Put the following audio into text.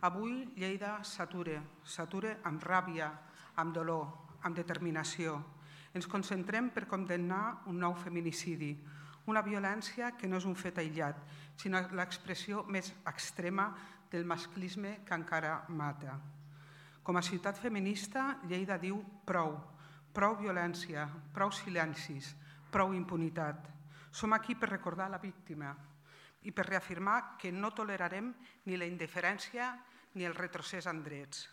Avui Lleida s'atura amb ràbia, amb dolor, amb determinació. Ens concentrem per condemnar un nou feminicidi, una violència que no és un fet aïllat, sinó l'expressió més extrema del masclisme que encara mata. Com a ciutat feminista, Lleida diu prou, prou violència, prou silencis, prou impunitat. Som aquí per recordar la víctima i per reafirmar que no tolerarem ni la indiferència ni el retrocés en drets.